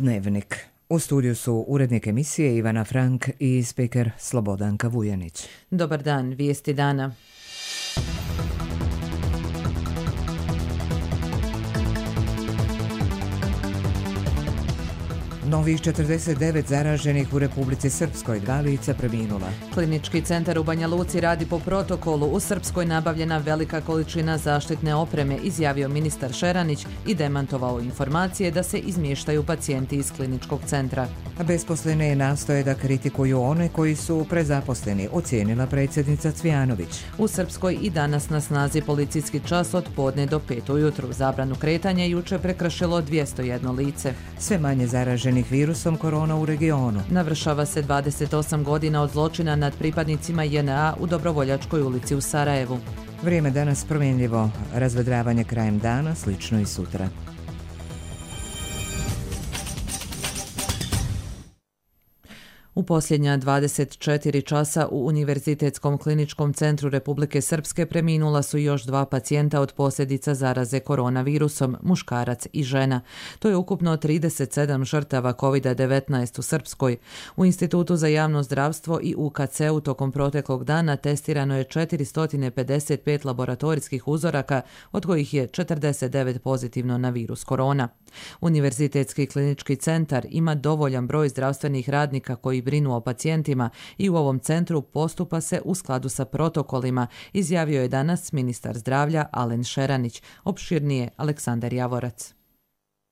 Dnevnik. U studiju su urednik emisije Ivana Frank i speaker Slobodanka Vujanić. Dobar dan, vijesti dana. Novih 49 zaraženih u Republici Srpskoj, 2 lica preminula. Klinički centar u Banja Luci radi po protokolu. U Srpskoj nabavljena velika količina zaštitne opreme, izjavio ministar Šeranić i demantovao informacije da se izmještaju pacijenti iz kliničkog centra. Besposlene nastoje da kritikuju one koji su prezaposleni, ocijenila predsjednica Cvijanović. U Srpskoj i danas na snazi policijski čas od podne do 5 ujutru. Zabranu kretanja juče prekršilo 201 lice. Sve manje zaraženih virusom korona u regionu. Navršava se 28 godina od zločina nad pripadnicima JNA u Dobrovoljačkoj ulici u Sarajevu. Vrijeme danas promjenljivo, razvedravanje krajem dana, slično i sutra. U posljednja 24 časa u Univerzitetskom kliničkom centru Republike Srpske preminula su još 2 pacijenta od posljedica zaraze koronavirusom, muškarac i žena. To je ukupno 37 žrtava COVID-19 u Srpskoj. U Institutu za javno zdravstvo i UKC-u tokom proteklog dana testirano je 455 laboratorijskih uzoraka, od kojih je 49 pozitivno na virus korona. Univerzitetski klinički centar ima dovoljan broj zdravstvenih radnika koji brinu o pacijentima i u ovom centru postupa se u skladu sa protokolima, izjavio je danas ministar zdravlja Alen Šeranić. Opširnije Aleksandar Javorac.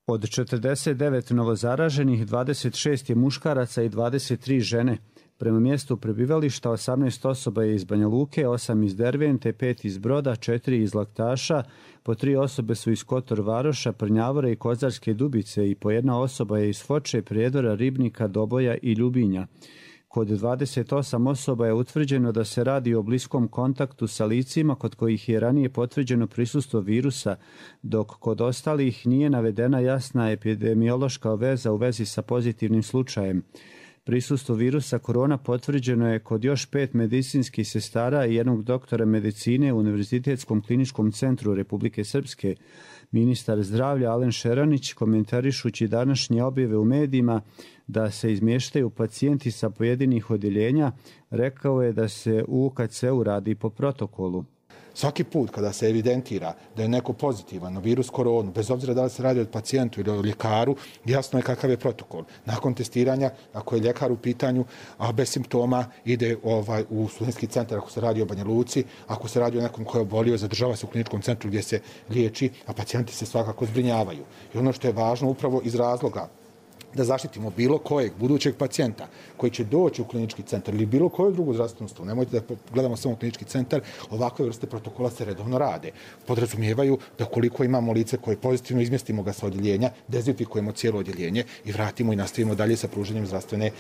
Od 49 novozaraženih, 26 je muškaraca i 23 žene. Prema mjestu prebivališta 18 osoba je iz Banja Luke, 8 iz Dervente, 5 iz Broda, 4 iz Laktaša, po 3 osobe su iz Kotor Varoša, Prnjavora i Kozarske Dubice i po 1 osoba je iz Foče, Prijedora, Ribnika, Doboja i Ljubinja. Kod 28 osoba je utvrđeno da se radi o bliskom kontaktu sa licima kod kojih je ranije potvrđeno prisustvo virusa, dok kod ostalih nije navedena jasna epidemiološka veza u vezi sa pozitivnim slučajem. Prisustvo virusa korona potvrđeno je kod još 5 medicinskih sestara i 1 doktora medicine u Univerzitetskom kliničkom centru Republike Srpske. Ministar zdravlja Alen Šeranić, komentarišući današnje objave u medijima da se izmještaju pacijenti sa pojedinih odjeljenja, rekao je da se u UKC-u radi po protokolu. Svaki put kada se evidentira da je neko pozitivan na virus koronu, bez obzira da li se radi o pacijentu ili o ljekaru, jasno je kakav je protokol. Nakon testiranja, ako je ljekar u pitanju, a bez simptoma, ide u studentski centar ako se radi o Banja Luci, ako se radi o nekom koji je obolio, zadržava se u kliničkom centru gdje se liječi, a pacijenti se svakako zbrinjavaju. I ono što je važno upravo iz razloga da zaštitimo bilo kojeg budućeg pacijenta koji će doći u klinički centar ili bilo koju drugu zdravstvenu ustanovu. Nemojte da gledamo samo klinički centar, ovakve vrste protokola se redovno rade. Podrazumijevaju da koliko imamo lice koje pozitivno, izmjestimo ga sa odjeljenja, dezinfikujemo cijelo odjeljenje i vratimo i nastavimo dalje sa pružanjem zdravstvene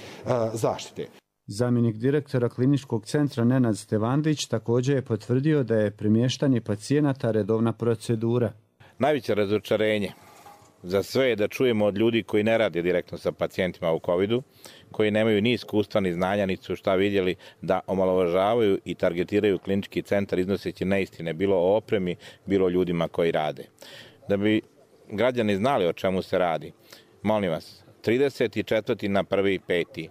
zaštite. Zamjenik direktora kliničkog centra Nenad Stevandić također je potvrdio da je premještanje pacijenata redovna procedura. Najveće razočarenje za sve je da čujemo od ljudi koji ne rade direktno sa pacijentima u COVID-u, koji nemaju ni iskustva ni znanja, ni su šta vidjeli, da omalovažavaju i targetiraju klinički centar iznoseći neistine, bilo o opremi, bilo o ljudima koji rade. Da bi građani znali o čemu se radi, molim vas, 34. na 1.5.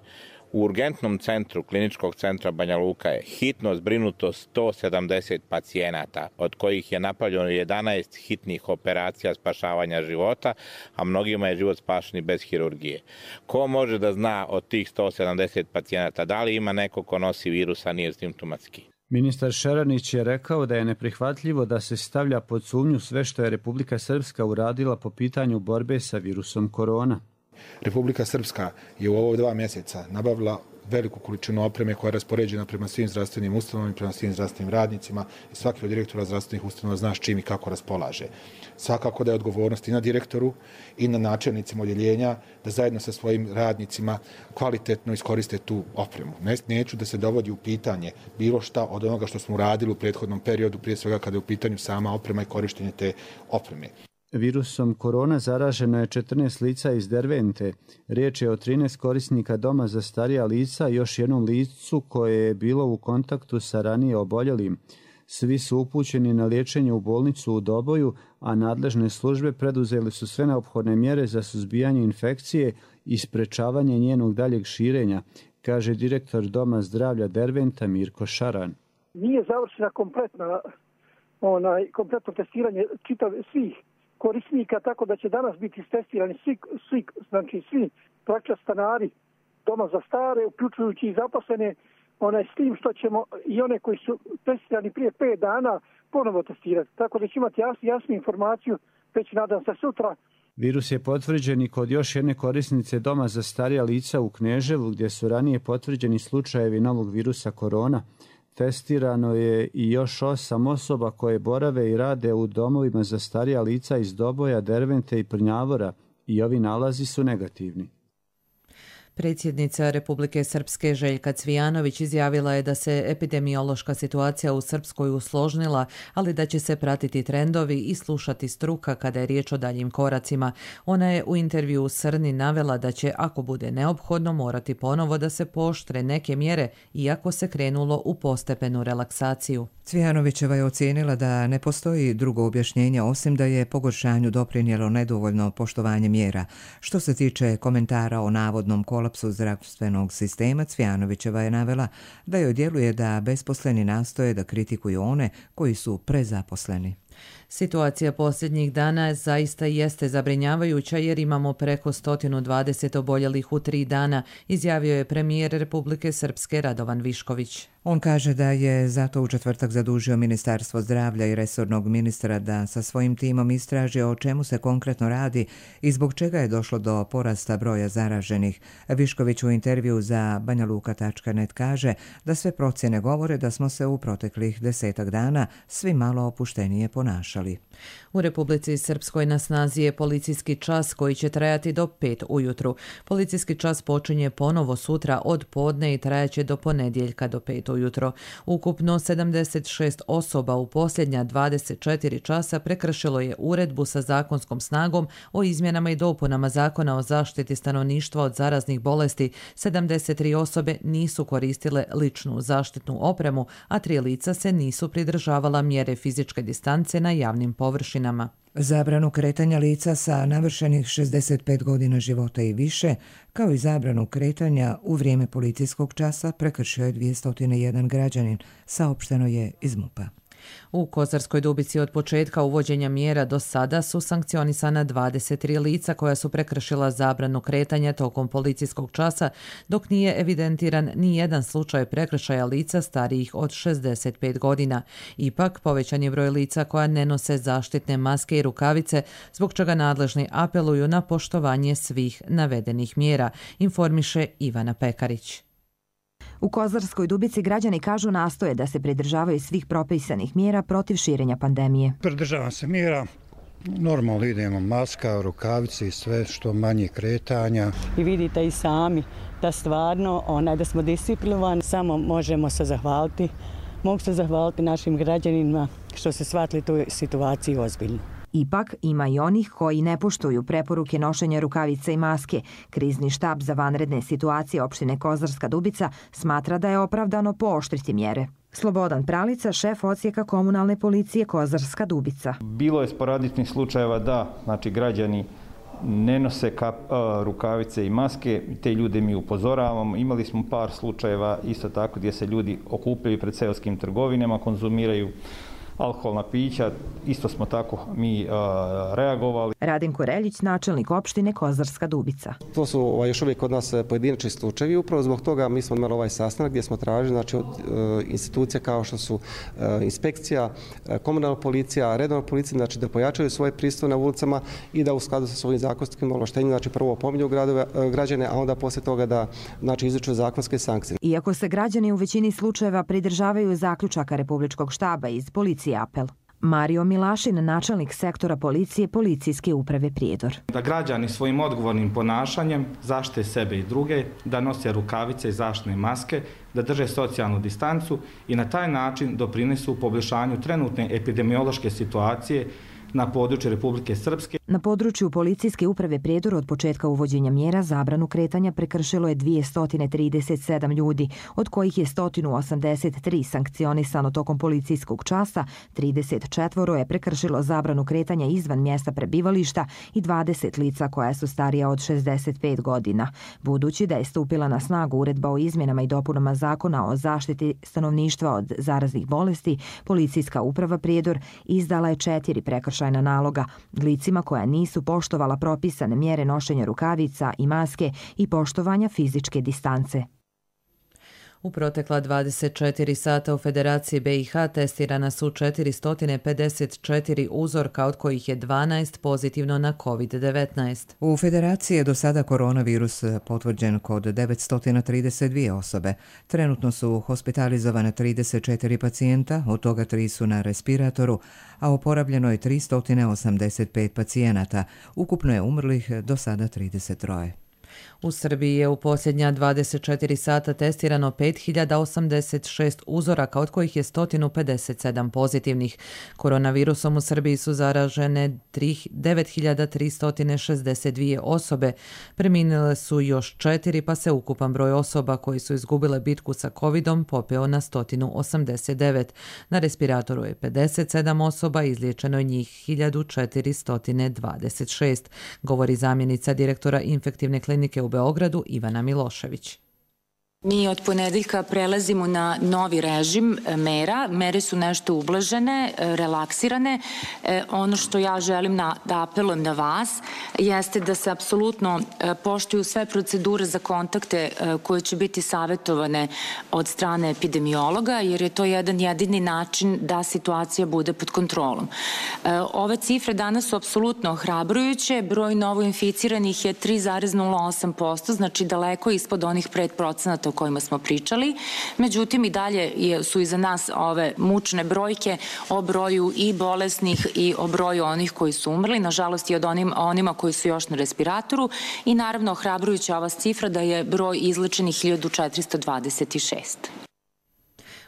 u urgentnom centru kliničkog centra Banja Luka je hitno zbrinuto 170 pacijenata, od kojih je napravljeno 11 hitnih operacija spašavanja života, a mnogima je život spašen i bez hirurgije. Ko može da zna od tih 170 pacijenata da li ima neko ko nosi virus, a nije simptomatski? Ministar Šeranić je rekao da je neprihvatljivo da se stavlja pod sumnju sve što je Republika Srpska uradila po pitanju borbe sa virusom korona. Republika Srpska je u ovo 2 mjeseca nabavila veliku količinu opreme koja je raspoređena prema svim zdravstvenim ustanovama i prema svim zdravstvenim radnicima i svaki od direktora zdravstvenih ustanova zna s čim i kako raspolaže. Svakako da je odgovornost i na direktoru i na načelnicima odjeljenja da zajedno sa svojim radnicima kvalitetno iskoriste tu opremu. Neću da se dovodi u pitanje bilo šta od onoga što smo uradili u prethodnom periodu, prije svega kada je u pitanju sama oprema i korištenje te opreme. Virusom korona zaraženo je 14 lica iz Dervente. Riječ je o 13 korisnika doma za starija lica i još jednom licu koje je bilo u kontaktu sa ranije oboljelim. Svi su upućeni na liječenje u bolnicu u Doboju, a nadležne službe preduzeli su sve neophodne mjere za suzbijanje infekcije i sprečavanje njenog daljeg širenja, kaže direktor Doma zdravlja Derventa Mirko Šaran. Nije završena kompletno testiranje svih korisnika, tako da će danas biti testirani svi praktično stanari doma za stare, uključujući i zaposlene, s tim što ćemo i one koji su testirani prije 5 dana ponovo testirati. Tako da će imati jasnu informaciju, već nadam se sutra. Virus je potvrđen i kod još jedne korisnice Doma za starija lica u Kneževu, gdje su ranije potvrđeni slučajevi novog virusa korona. Testirano je i još 8 osoba koje borave i rade u domovima za starija lica iz Doboja, Dervente i Prnjavora i ovi nalazi su negativni. Predsjednica Republike Srpske Željka Cvijanović izjavila je da se epidemiološka situacija u Srpskoj usložnila, ali da će se pratiti trendovi i slušati struka kada je riječ o daljim koracima. Ona je u intervju u Srni navela da će, ako bude neophodno, morati ponovo da se pooštre neke mjere, iako se krenulo u postepenu relaksaciju. Cvijanovićeva je ocijenila da ne postoji drugo objašnjenje osim da je pogoršanju doprinijelo nedovoljno poštovanje mjera. Što se tiče komentara o navodnom kolapsu zdravstvenog sistema, Cvijanovićeva je navela da joj djeluje da besposleni nastoje da kritikuju one koji su prezaposleni. Situacija posljednjih dana zaista jeste zabrinjavajuća jer imamo preko 120 oboljelih u 3 dana, izjavio je premijer Republike Srpske Radovan Višković. On kaže da je zato u četvrtak zadužio Ministarstvo zdravlja i resornog ministra da sa svojim timom istraži o čemu se konkretno radi i zbog čega je došlo do porasta broja zaraženih. Višković u intervju za banjaluka.net kaže da sve procjene govore da smo se u proteklih 10 dana svi malo opuštenije ponašali. U Republici Srpskoj na snazi je policijski čas koji će trajati do 5 ujutru. Policijski čas počinje ponovo sutra od podne i trajaće do ponedjeljka do 5 ujutro. Ukupno 76 osoba u posljednja 24 časa prekršilo je uredbu sa zakonskom snagom o izmjenama i dopunama Zakona o zaštiti stanovništva od zaraznih bolesti. 73 osobe nisu koristile ličnu zaštitnu opremu, a 3 lica se nisu pridržavala mjere fizičke distance na javnim površinama. Zabranu kretanja lica sa navršenih 65 godina života i više, kao i zabranu kretanja u vrijeme policijskog časa prekršio je 201 građanin, saopšteno je iz MUP-a. U Kozarskoj Dubici od početka uvođenja mjera do sada su sankcionisana 23 lica koja su prekršila zabranu kretanja tokom policijskog časa, dok nije evidentiran ni jedan slučaj prekršaja lica starijih od 65 godina. Ipak, povećan je broj lica koja ne nose zaštitne maske i rukavice, zbog čega nadležni apeluju na poštovanje svih navedenih mjera, informiše Ivana Pekarić. U Kozarskoj Dubici građani kažu nastoje da se pridržavaju svih propisanih mjera protiv širenja pandemije. Pridržavam se mjera, normalno idemo maska, rukavice i sve što manje kretanja. I vidite i sami da stvarno da smo disciplinovani, samo možemo se zahvaliti. Mogu se zahvaliti našim građanima što se shvatili tu situaciju ozbiljno. Ipak, ima i onih koji ne poštuju preporuke nošenja rukavica i maske. Krizni štab za vanredne situacije opštine Kozarska Dubica smatra da je opravdano pooštriti mjere. Slobodan Pralica, šef odsjeka komunalne policije Kozarska Dubica. Bilo je sporadičnih slučajeva da građani ne nose rukavice i maske, te ljude mi upozoravamo. Imali smo par slučajeva isto tako gdje se ljudi okupljaju pred seoskim trgovinama, konzumiraju alkoholna pića, isto smo tako mi reagovali. Radinko Reljić, načelnik opštine Kozarska Dubica. To su još uvijek kod nas pojedinačni slučajevi. Upravo zbog toga mi smo imali ovaj sastanak gdje smo tražili od institucija kao što su inspekcija, komunalna policija, redovna policija, da pojačaju svoje prisustvo na ulicama i da u skladu sa svojim zakonskim ovlaštenjima prvo opominju građane, a onda poslije toga da izriču zakonske sankcije. Iako se građani u većini slučajeva pridržavaju zaključaka Republičkog štaba iz policije apel. Mario Milašin, načelnik sektora policije Policijske uprave Prijedor. Da građani svojim odgovornim ponašanjem zaštite sebe i druge, da nose rukavice i zaštitne maske, da drže socijalnu distancu i na taj način doprinesu poboljšanju trenutne epidemiološke situacije na području Republike Srpske. Na području policijske uprave Prijedor od početka uvođenja mjera zabranu kretanja prekršilo je 237 ljudi, od kojih je 183 sankcionisano tokom policijskog časa, 34 je prekršilo zabranu kretanja izvan mjesta prebivališta i 20 lica koja su starija od 65 godina. Budući da je stupila na snagu uredba o izmjenama i dopunama zakona o zaštiti stanovništva od zaraznih bolesti, policijska uprava Prijedor izdala je 4 prekršajna naloga licima koja nisu poštovala propisane mjere nošenja rukavica i maske i poštovanja fizičke distance. U protekla 24 sata u Federaciji BiH testirana su 454 uzorka, od kojih je 12 pozitivno na COVID-19. U Federaciji je do sada koronavirus potvrđen kod 932 osobe. Trenutno su hospitalizovane 34 pacijenta, od toga 3 su na respiratoru, a oporavljeno je 385 pacijenata. Ukupno je umrlih do sada 33. U Srbiji je u posljednja 24 sata testirano 5086 uzoraka, od kojih je 157 pozitivnih. Koronavirusom u Srbiji su zaražene 9362 osobe. Preminile su još 4, pa se ukupan broj osoba koji su izgubile bitku sa covidom popeo na 189. Na respiratoru je 57 osoba, izliječeno je njih 1426, govori zamjenica direktora infektivne klinike u Beogradu Ivana Milošević. Mi od ponedeljka prelazimo na novi režim mera. Mere su nešto ublažene, relaksirane. Ono što ja želim da apelujem na vas jeste da se apsolutno poštuju sve procedure za kontakte koje će biti savjetovane od strane epidemiologa, jer je to jedan jedini način da situacija bude pod kontrolom. Ove cifre danas su apsolutno ohrabrujuće. Broj novoinficiranih je 3,08%, znači daleko ispod onih 5% o kojima smo pričali. Međutim, i dalje su iza nas ove mučne brojke o broju i bolesnih i o broju onih koji su umrli, nažalost i od onima koji su još na respiratoru, i naravno ohrabrujuća ova cifra da je broj izlečenih 1426.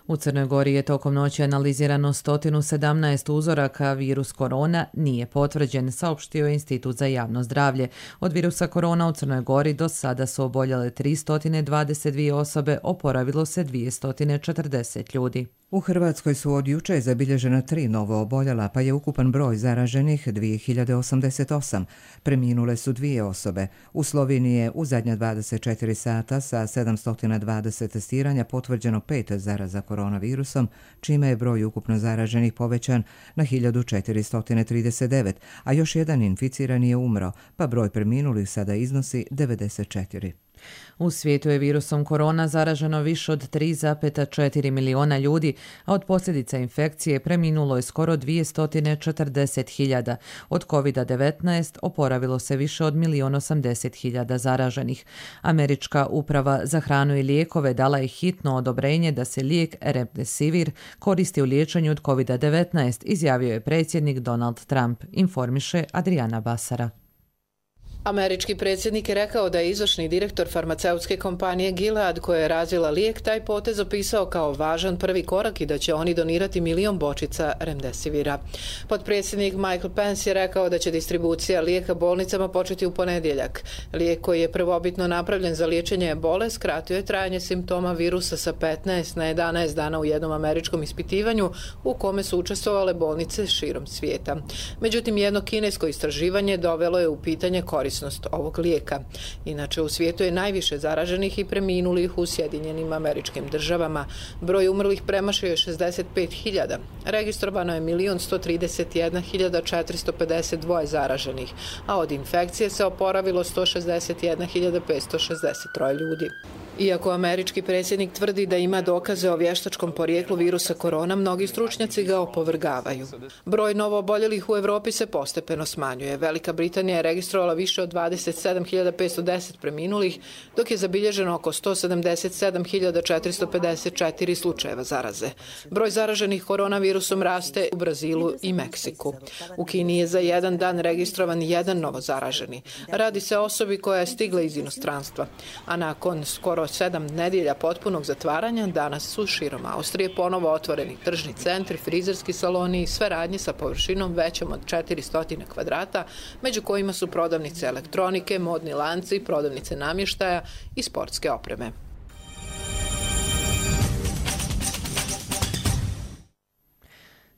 U Crnoj Gori je tokom noći analizirano 117 uzoraka, virus korona nije potvrđen, saopštio je Institut za javno zdravlje. Od virusa korona u Crnoj Gori do sada su oboljele 322 osobe, oporavilo se 240 ljudi. U Hrvatskoj su od juče zabilježena 3 novo oboljela, pa je ukupan broj zaraženih 2088. Preminule su 2 osobe. U Sloveniji je u zadnja 24 sata sa 720 testiranja potvrđeno 5 zaraza koronavirusom, čime je broj ukupno zaraženih povećan na 1439, a još jedan inficirani je umro, pa broj preminulih sada iznosi 94. U svijetu je virusom korona zaraženo više od 3,4 miliona ljudi, a od posljedica infekcije preminulo je skoro 240.000. Od COVID-19 oporavilo se više od 1.080.000 zaraženih. Američka uprava za hranu i lijekove dala je hitno odobrenje da se lijek Remdesivir koristi u liječenju od COVID-19, izjavio je predsjednik Donald Trump, informiše Adriana Basara. Američki predsjednik je rekao da je izvršni direktor farmaceutske kompanije Gilead, koja je razvila lijek, taj potez opisao kao važan prvi korak i da će oni donirati 1 milion bočica Remdesivira. Potpredsjednik Michael Pence je rekao da će distribucija lijeka bolnicama početi u ponedjeljak. Lijek koji je prvobitno napravljen za liječenje ebole skratio je trajanje simptoma virusa sa 15 na 11 dana u jednom američkom ispitivanju u kome su učestvovale bolnice širom svijeta. Međutim, jedno kinesko istraživanje dovelo je u pitanje korisnost ovog lijeka. Inače, u svijetu je najviše zaraženih i preminulih u Sjedinjenim Američkim Državama. Broj umrlih premašio je 65.000. Registrovano je 1.031.452 zaraženih, a od infekcije se oporavilo 161.563 ljudi. Iako američki predsjednik tvrdi da ima dokaze o vještačkom porijeklu virusa korona, mnogi stručnjaci ga opovrgavaju. Broj novooboljelih u Europi se postepeno smanjuje. Velika Britanija je registrovala više od 27.510 preminulih, dok je zabilježeno oko 177.454 slučajeva zaraze. Broj zaraženih koronavirusom raste u Brazilu i Meksiku. U Kini je za jedan dan registrovan jedan novo zaraženi. Radi se o osobi koja je stigla iz inostranstva, a nakon skoro Kroz 7 nedjelja potpunog zatvaranja danas su širom Austrije ponovo otvoreni tržni centri, frizerski saloni i sve radnje sa površinom većom od 400 kvadrata, među kojima su prodavnice elektronike, modni lanci, prodavnice namještaja i sportske opreme.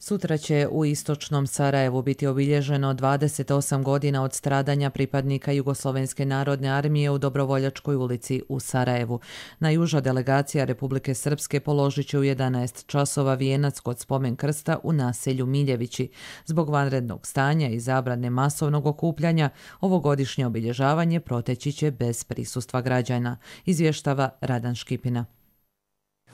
Sutra će u istočnom Sarajevu biti obilježeno 28 godina od stradanja pripadnika Jugoslovenske narodne armije u Dobrovoljačkoj ulici u Sarajevu. Najjuža delegacija Republike Srpske položit će u 11 časova vijenac kod spomen krsta u naselju Miljevići. Zbog vanrednog stanja i zabrane masovnog okupljanja, ovogodišnje obilježavanje proteći će bez prisustva građana, izvještava Radan Škipina.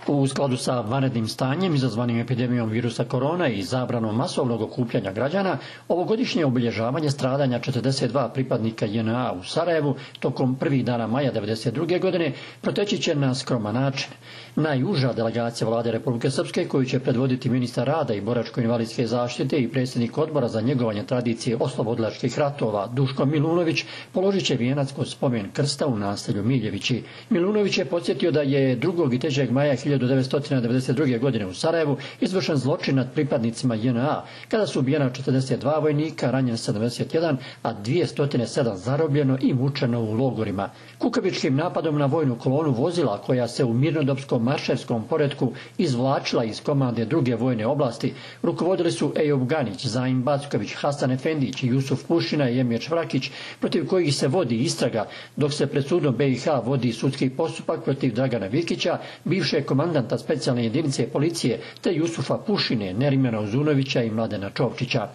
U skladu sa vanrednim stanjem izazvanim epidemijom virusa korona i zabranom masovnog okupljanja građana, ovogodišnje obilježavanje stradanja 42 pripadnika JNA u Sarajevu tokom prvih dana maja 1992. godine proteći će na skroman način. Najuža delegacija Vlade Republike Srpske, koju će predvoditi ministar rada i boračko-invalidske zaštite i predsjednik odbora za njegovanje tradicije oslobodilačkih ratova Duško Milunović, položit će vijenac kod spomen krsta u naselju Miljevići. Milunović je podsjetio da je 2. i 3. maja 1992. godine u Sarajevu izvršen zločin nad pripadnicima JNA, kada su ubijena 42 vojnika, ranjen 71, a 207 zarobljeno i mučeno u logorima. Kukavičkim napadom na vojnu kolonu vozila, koja se u mirnodopskom marševskom poretku izvlačila iz komande druge vojne oblasti, rukovodili su Ejub Ganić, Zaim Backović, Hasan Efendić, Jusuf Pušina i Emir Švrakić, protiv kojih se vodi istraga, dok se pred sudom BiH vodi sudski postupak protiv Dragana Vikića, bivšeg komandanta specijalne jedinice policije, te Jusufa Pušine, Nerimana Uzunovića i Mladena Čovčića.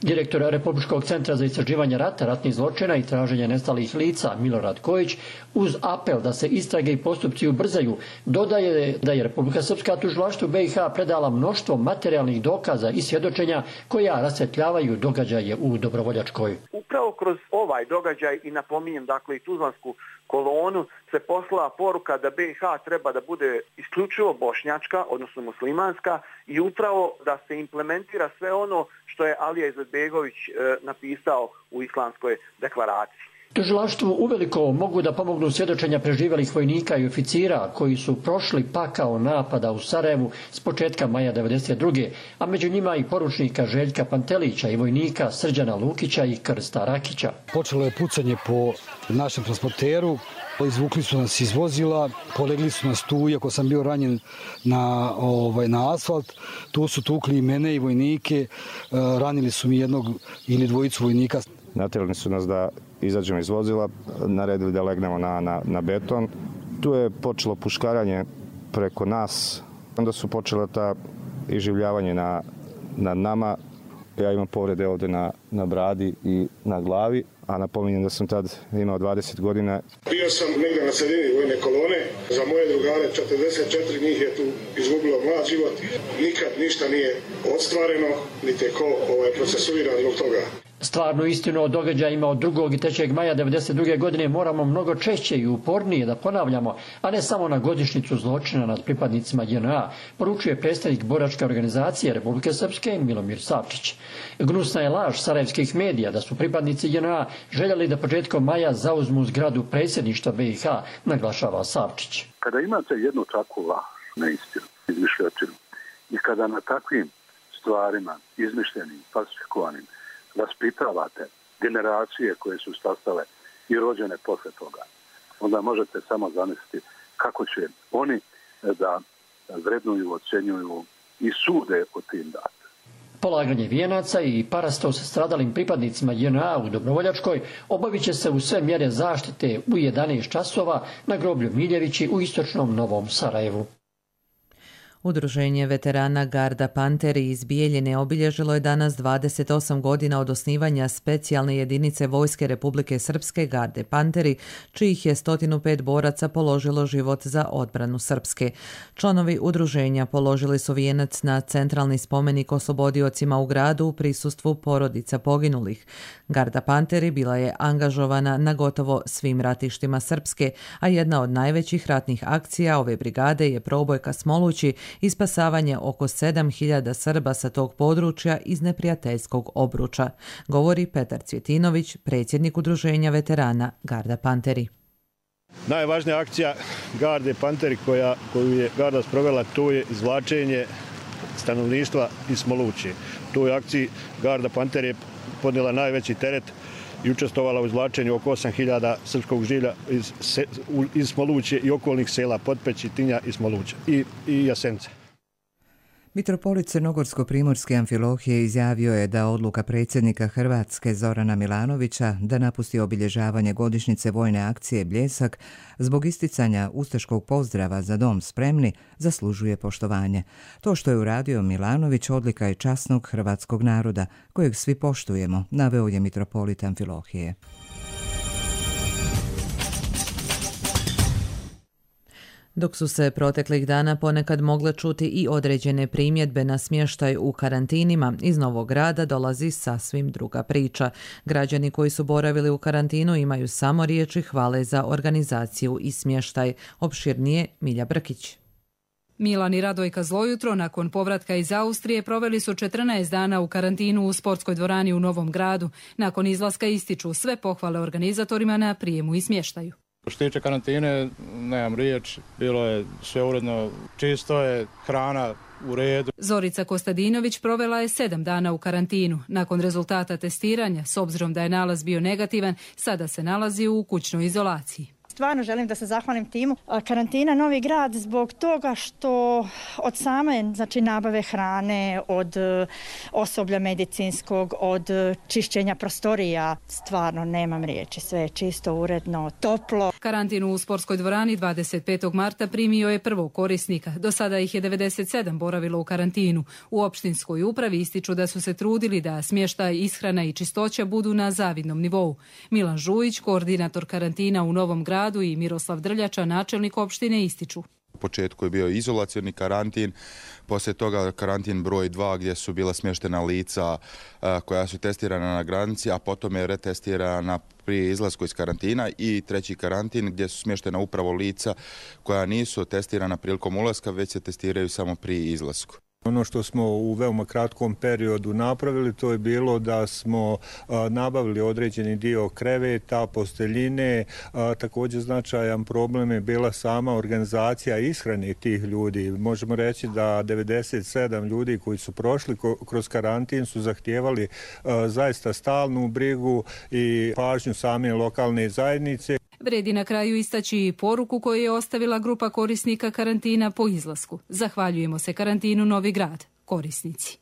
Direktor Republičkog centra za istraživanje rata, ratnih zločina i traženja nestalih lica Milorad Kojić, uz apel da se istrage i postupci ubrzaju, dodaje da je Republika Srpska tužilaštvu BiH predala mnoštvo materijalnih dokaza i svjedočenja koja rasvetljavaju događaje u Dobrovoljačkoj. Upravo kroz ovaj događaj i napominjem dakle i tuzlansku kolonu se poslala poruka da BiH treba da bude isključivo bošnjačka, odnosno muslimanska, i upravo da se implementira sve ono što je Alija Izetbegović napisao u Islamskoj deklaraciji. Tužilaštvu uveliko mogu da pomognu svjedočenja preživelih vojnika i oficira koji su prošli pakao napada u Sarajevu s početka maja 1992. a među njima i poručnika Željka Pantelića i vojnika Srđana Lukića i Krsta Rakića. Počelo je pucanje po našem transporteru, izvukli su nas iz vozila, polegli su nas tu, iako sam bio ranjen na asfalt, tu su tukli i mene i vojnike, ranili su mi jednog ili dvojicu vojnika. Natjerali su nas da izađemo iz vozila, naredili da legnemo na beton. Tu je počelo puškaranje preko nas, onda su počela ta iživljavanje nad nama. Ja imam povrede ovdje na bradi i na glavi, a napominjem da sam tad imao 20 godina. Bio sam negdje na sredini vojne kolone, za moje drugare 44 njih je tu izgubilo mlad život. Nikad ništa nije ostvareno, niti je ko procesuiran zbog toga. Stvarnu istinu o događajima od 2. i 3. maja 1992. godine moramo mnogo češće i upornije da ponavljamo, a ne samo na godišnjicu zločina nad pripadnicima JNA, poručuje predstavnik boračke organizacije Republike Srpske Milomir Savčić. Gnusna je laž sarajevskih medija da su pripadnici JNA željeli da početkom maja zauzmu zgradu predsjedništva BiH, naglašava Savčić. Kada imate jednu takvu laž, neistinu, izmišljotinu, i kada na takvim stvarima, izmišljenim, falsifikovanim, vaspitavate generacije koje su stasale i rođene posle toga, onda možete samo zamisliti kako će oni da vrednuju, ocenjuju i sude o tim datima. Polaganje vijenaca i parastos stradalim pripadnicima JNA u Dobrovoljačkoj obavit će se u sve mjere zaštite u 11 časova na groblju Miljevići u istočnom Novom Sarajevu. Udruženje veterana Garda Panteri iz Bijeljine obilježilo je danas 28 godina od osnivanja specijalne jedinice Vojske Republike Srpske Garde Panteri, čijih je 105 boraca položilo život za odbranu Srpske. Članovi udruženja položili su vijenac na centralni spomenik oslobodiocima u gradu u prisustvu porodica poginulih. Garda Panteri bila je angažovana na gotovo svim ratištima Srpske, a jedna od najvećih ratnih akcija ove brigade je probojka Smolući i spasavanje oko 7.000 Srba sa tog područja iz neprijateljskog obruča, govori Petar Cvjetinović, predsjednik udruženja veterana Garda Panteri. Najvažnija akcija Garde Panteri koju je Garda sprovela, to je izvlačenje stanovništva iz Smoluće. U toj akciji Garda Panter je podnijela najveći teret i učestvovala u izvlačenju oko 8.000 srpskog žilja iz Smoluće i okolnih sela Potpeći, Tinja i Smoluća i Jasence. Mitropolit Crnogorsko-primorske Amfilohije izjavio je da odluka predsjednika Hrvatske Zorana Milanovića da napusti obilježavanje godišnjice vojne akcije Bljesak zbog isticanja ustaškog pozdrava za dom spremni zaslužuje poštovanje. To što je uradio Milanović odlika je časnog hrvatskog naroda, kojeg svi poštujemo, naveo je mitropolit Amfilohije. Dok su se proteklih dana ponekad mogle čuti i određene primjedbe na smještaj u karantinima, iz Novog Grada dolazi sasvim druga priča. Građani koji su boravili u karantinu imaju samo riječi hvale za organizaciju i smještaj. Opširnije Milja Brkić. Milan i Radojka Zlojutro nakon povratka iz Austrije proveli su 14 dana u karantinu u sportskoj dvorani u Novom Gradu. Nakon izlaska ističu sve pohvale organizatorima na prijemu i smještaju. Što se tiče karantine, nemam riječ, bilo je sve uredno, čisto je, hrana u redu. Zorica Kostadinović provela je 7 dana u karantinu. Nakon rezultata testiranja, s obzirom da je nalaz bio negativan, sada se nalazi u kućnoj izolaciji. Stvarno želim da se zahvalim timu Karantina Novi Grad zbog toga što od same nabave hrane, od osoblja medicinskog, od čišćenja prostorija, stvarno nemam riječi, sve je čisto, uredno, toplo. Karantin u sportskoj dvorani 25. marta primio je prvog korisnika. Do sada ih je 97 boravilo u karantinu. U opštinskoj upravi ističu da su se trudili da smještaj, ishrana i čistoća budu na zavidnom nivou. Milan Žujić, koordinator karantina u Novom Gradu, i Miroslav Drljača, načelnik opštine, ističu. U početku je bio izolacioni karantin, poslije toga karantin broj 2 gdje su bila smještena lica koja su testirana na granici, a potom je retestirana prije izlasku iz karantina, i treći karantin gdje su smještena upravo lica koja nisu testirana prilikom ulaska, već se testiraju samo prije izlasku. Ono što smo u veoma kratkom periodu napravili, to je bilo da smo nabavili određeni dio kreveta, posteljine. Također značajan problem je bila sama organizacija ishrane tih ljudi. Možemo reći da 97 ljudi koji su prošli kroz karantin su zahtijevali zaista stalnu brigu i pažnju same lokalne zajednice. Vredi na kraju istaći i poruku koju je ostavila grupa korisnika karantina po izlasku. Zahvaljujemo se karantinu Novi Grad, korisnici.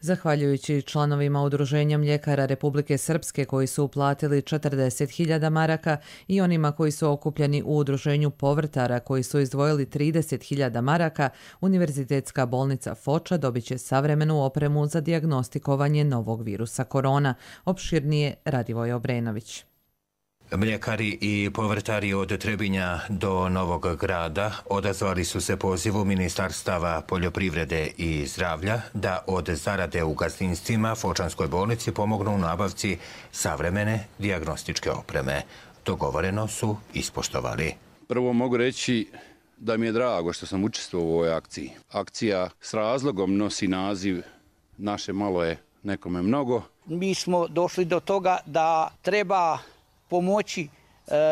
Zahvaljujući članovima Udruženja mljekara Republike Srpske koji su uplatili 40.000 maraka i onima koji su okupljeni u Udruženju povrtara koji su izdvojili 30.000 maraka, Univerzitetska bolnica Foča dobit će savremenu opremu za dijagnostikovanje novog virusa korona. Opširnije Radivoj Obrenović. Mljekari i povrtari od Trebinja do Novog Grada odazvali su se pozivu Ministarstava poljoprivrede i zdravlja da od zarade u gazdinstvima Fočanskoj bolnici pomognu u nabavci savremene dijagnostičke opreme. Dogovoreno su ispoštovali. Prvo mogu reći da mi je drago što sam učestvovao u ovoj akciji. Akcija s razlogom nosi naziv Naše malo je nekome mnogo. Mi smo došli do toga da treba pomoći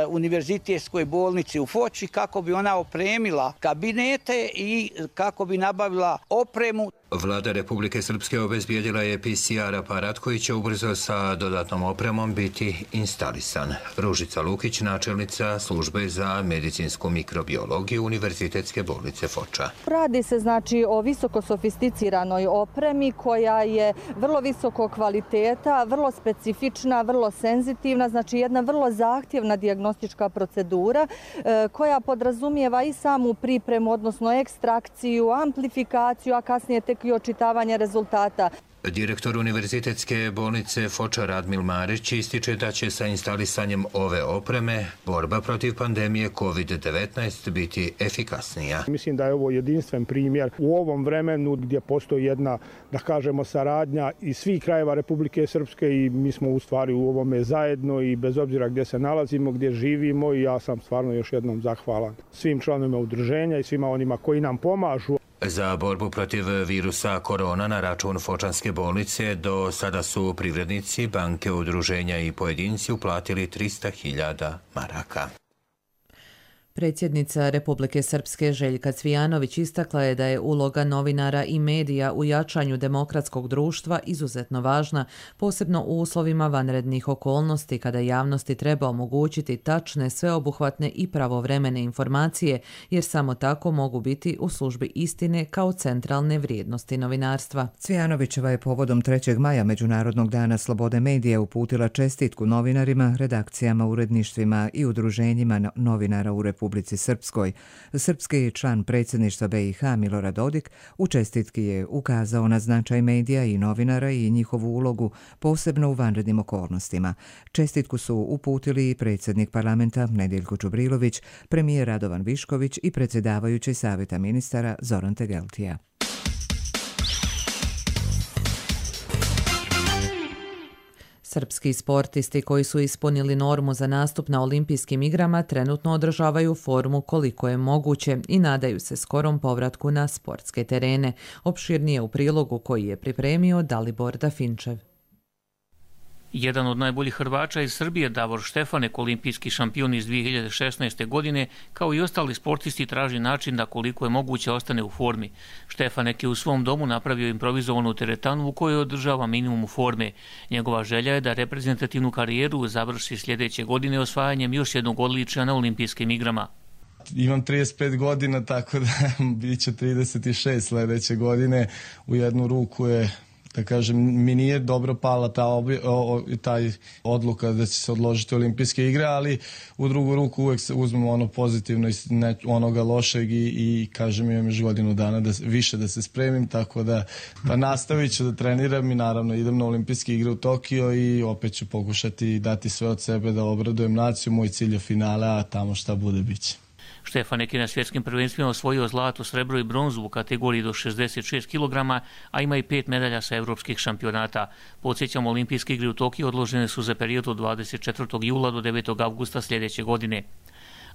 Univerzitetskoj bolnici u Foči kako bi ona opremila kabinete i kako bi nabavila opremu. Vlada Republike Srpske obezbijedila je PCR aparat koji će ubrzo sa dodatnom opremom biti instalisan. Ružica Lukić, načelnica službe za medicinsku mikrobiologiju Univerzitetske bolnice Foča. Radi se o visoko sofisticiranoj opremi koja je vrlo visoko kvaliteta, vrlo specifična, vrlo senzitivna, jedna vrlo zahtjevna dijagnostička procedura koja podrazumijeva i samu pripremu, odnosno ekstrakciju, amplifikaciju, a kasnije tek i očitavanje rezultata. Direktor Univerzitetske bolnice Foča Radmil Marić ističe da će sa instalisanjem ove opreme borba protiv pandemije COVID-19 biti efikasnija. Mislim da je ovo jedinstven primjer u ovom vremenu gdje postoji jedna, da kažemo, saradnja iz svih krajeva Republike Srpske i mi smo u stvari u ovome zajedno i bez obzira gdje se nalazimo, gdje živimo, i ja sam stvarno još jednom zahvalan svim članovima udruženja i svima onima koji nam pomažu. Za borbu protiv virusa korona na račun Fočanske bolnice do sada su privrednici, banke, udruženja i pojedinci uplatili 300.000 maraka. Predsjednica Republike Srpske Željka Cvijanović istakla je da je uloga novinara i medija u jačanju demokratskog društva izuzetno važna, posebno u uslovima vanrednih okolnosti kada javnosti treba omogućiti tačne, sveobuhvatne i pravovremene informacije, jer samo tako mogu biti u službi istine kao centralne vrijednosti novinarstva. Cvijanovićeva je povodom 3. maja Međunarodnog dana slobode medija uputila čestitku novinarima, redakcijama, uredništvima i udruženjima novinara u Republici Srpskoj. Srpski član predsjedništva BiH Milorad Dodik u čestitki je ukazao na značaj medija i novinara i njihovu ulogu, posebno u vanrednim okolnostima. Čestitku su uputili i predsjednik parlamenta Nediljko Čubrilović, premijer Radovan Višković i predsjedavajući Savjeta ministara Zoran Tegeltija. Srpski sportisti koji su ispunili normu za nastup na olimpijskim igrama trenutno održavaju formu koliko je moguće i nadaju se skorom povratku na sportske terene. Opširnije u prilogu koji je pripremio Dalibor Dafinčev. Jedan od najboljih Hrvača iz Srbije, Davor Štefanek, olimpijski šampion iz 2016. godine, kao i ostali sportisti traži način da koliko je moguće ostane u formi. Štefanek je u svom domu napravio improvizovanu teretanu u kojoj održava minimum forme. Njegova želja je da reprezentativnu karijeru završi sljedeće godine osvajanjem još jednog odličja na olimpijskim igrama. Imam 35 godina, tako da bit će 36 sljedeće godine. U jednu ruku je, da kažem, mi nije dobro pala taj odluka da će se odložiti olimpijske igre, ali u drugu ruku uvijek uzmemo ono pozitivno i onoga lošeg i kažem, imam još godinu dana više da se spremim, tako da pa nastavit ću da treniram i naravno idem na olimpijske igre u Tokio i opet ću pokušati dati sve od sebe da obradujem naciju. Moj cilj je finale, a tamo šta bude biće. Štefanek je na svjetskim prvenstvima osvojio zlato, srebro i bronzu u kategoriji do 66 kg, a ima i 5 medalja sa evropskih šampionata. Podsjećamo, olimpijske igre u Tokiju odložene su za period od 24. jula do 9. avgusta sljedeće godine.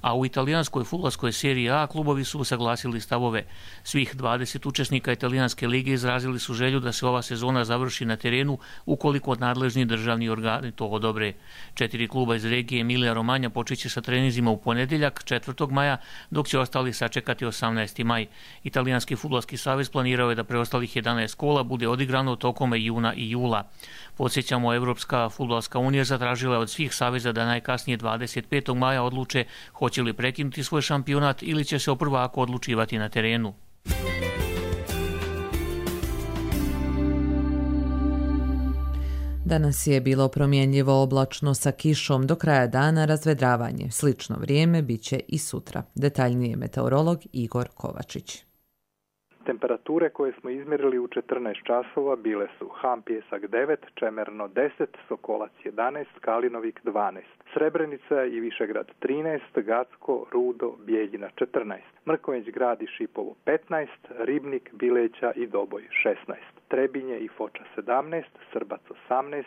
A u italijanskoj fudbalskoj seriji A klubovi su usaglasili stavove. Svih 20 učesnika italijanske lige izrazili su želju da se ova sezona završi na terenu ukoliko nadležni državni organi to odobre. 4 kluba iz regije Emilija Romanja počeće sa treninzima u ponedjeljak 4. maja, dok će ostali sačekati 18. maj. Italijanski fudbalski savez planirao je da preostalih 11 kola bude odigrano tokom juna i jula. Podsjećamo, Evropska fudbalska unija zatražila je od svih saveza da najkasnije 25. maja odluče hoće li prekinuti svoj šampionat ili će se o prvaku odlučivati na terenu. Danas je bilo promjenjivo oblačno sa kišom, do kraja dana razvedravanje. Slično vrijeme bit će i sutra. Detaljnije meteorolog Igor Kovačić. Temperature koje smo izmjerili u 14 časova bile su Ham Pjesak 9, Čemerno 10, Sokolac 11, Kalinovik 12, Srebrenica i Višegrad 13, Gacko, Rudo, Bijeljina 14, Mrkonjić Grad i Šipovo 15, Ribnik, Bileća i Doboj 16, Trebinje i Foča 17, Srbac 18,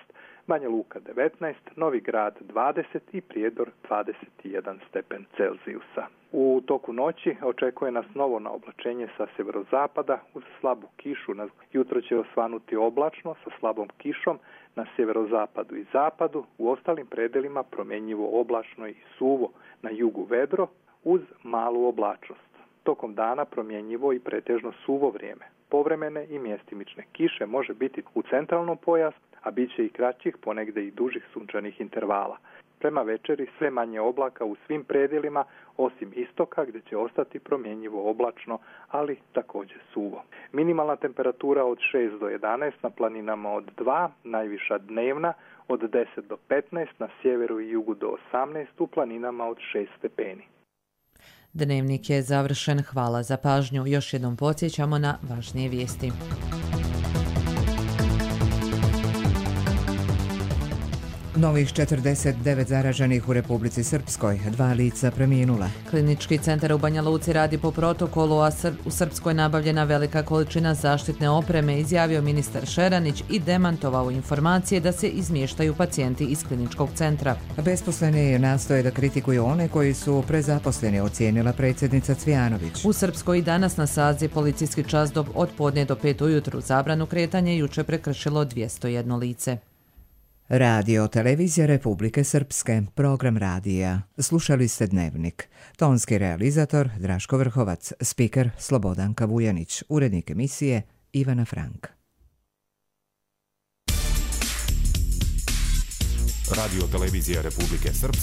Banja Luka 19, Novi Grad 20 i Prijedor 21 stepen Celzijusa. U toku noći očekuje nas novo naoblačenje sa sjeverozapada uz slabu kišu. Jutro će osvanuti oblačno sa slabom kišom na sjeverozapadu i zapadu, u ostalim predelima promjenjivo oblačno i suvo, na jugu vedro uz malu oblačnost. Tokom dana promjenjivo i pretežno suvo vrijeme. Povremene i mjestimične kiše može biti u centralnom pojasu, a bit će i kraćih, ponegde i dužih sunčanih intervala. Prema večeri sve manje oblaka u svim predjelima, osim istoka gdje će ostati promjenjivo oblačno, ali također suvo. Minimalna temperatura od 6 do 11, na planinama od 2, najviša dnevna od 10 do 15, na sjeveru i jugu do 18, u planinama od 6 stepeni. Dnevnik je završen. Hvala za pažnju. Još jednom podsjećamo na važnije vijesti. Novih 49 zaraženih u Republici Srpskoj, 2 lica preminula. Klinički centar u Banja Luci radi po protokolu, a u Srpskoj nabavljena velika količina zaštitne opreme, izjavio ministar Šeranić i demantovao informacije da se izmještaju pacijenti iz kliničkog centra. Besposleni nastoje da kritikuju one koji su prezaposleni, ocijenila predsjednica Cvijanović. U Srpskoj i danas na Sazi policijski čas od podne do 5 ujutru. Zabranu kretanja juče prekršilo 201 lice. Radio Televizija Republike Srpske, program radija. Slušali ste Dnevnik. Tonski realizator Draško Vrhovac, spiker Slobodanka Vujanić, urednik emisije Ivana Frank. Radio Televizija Republike Srpske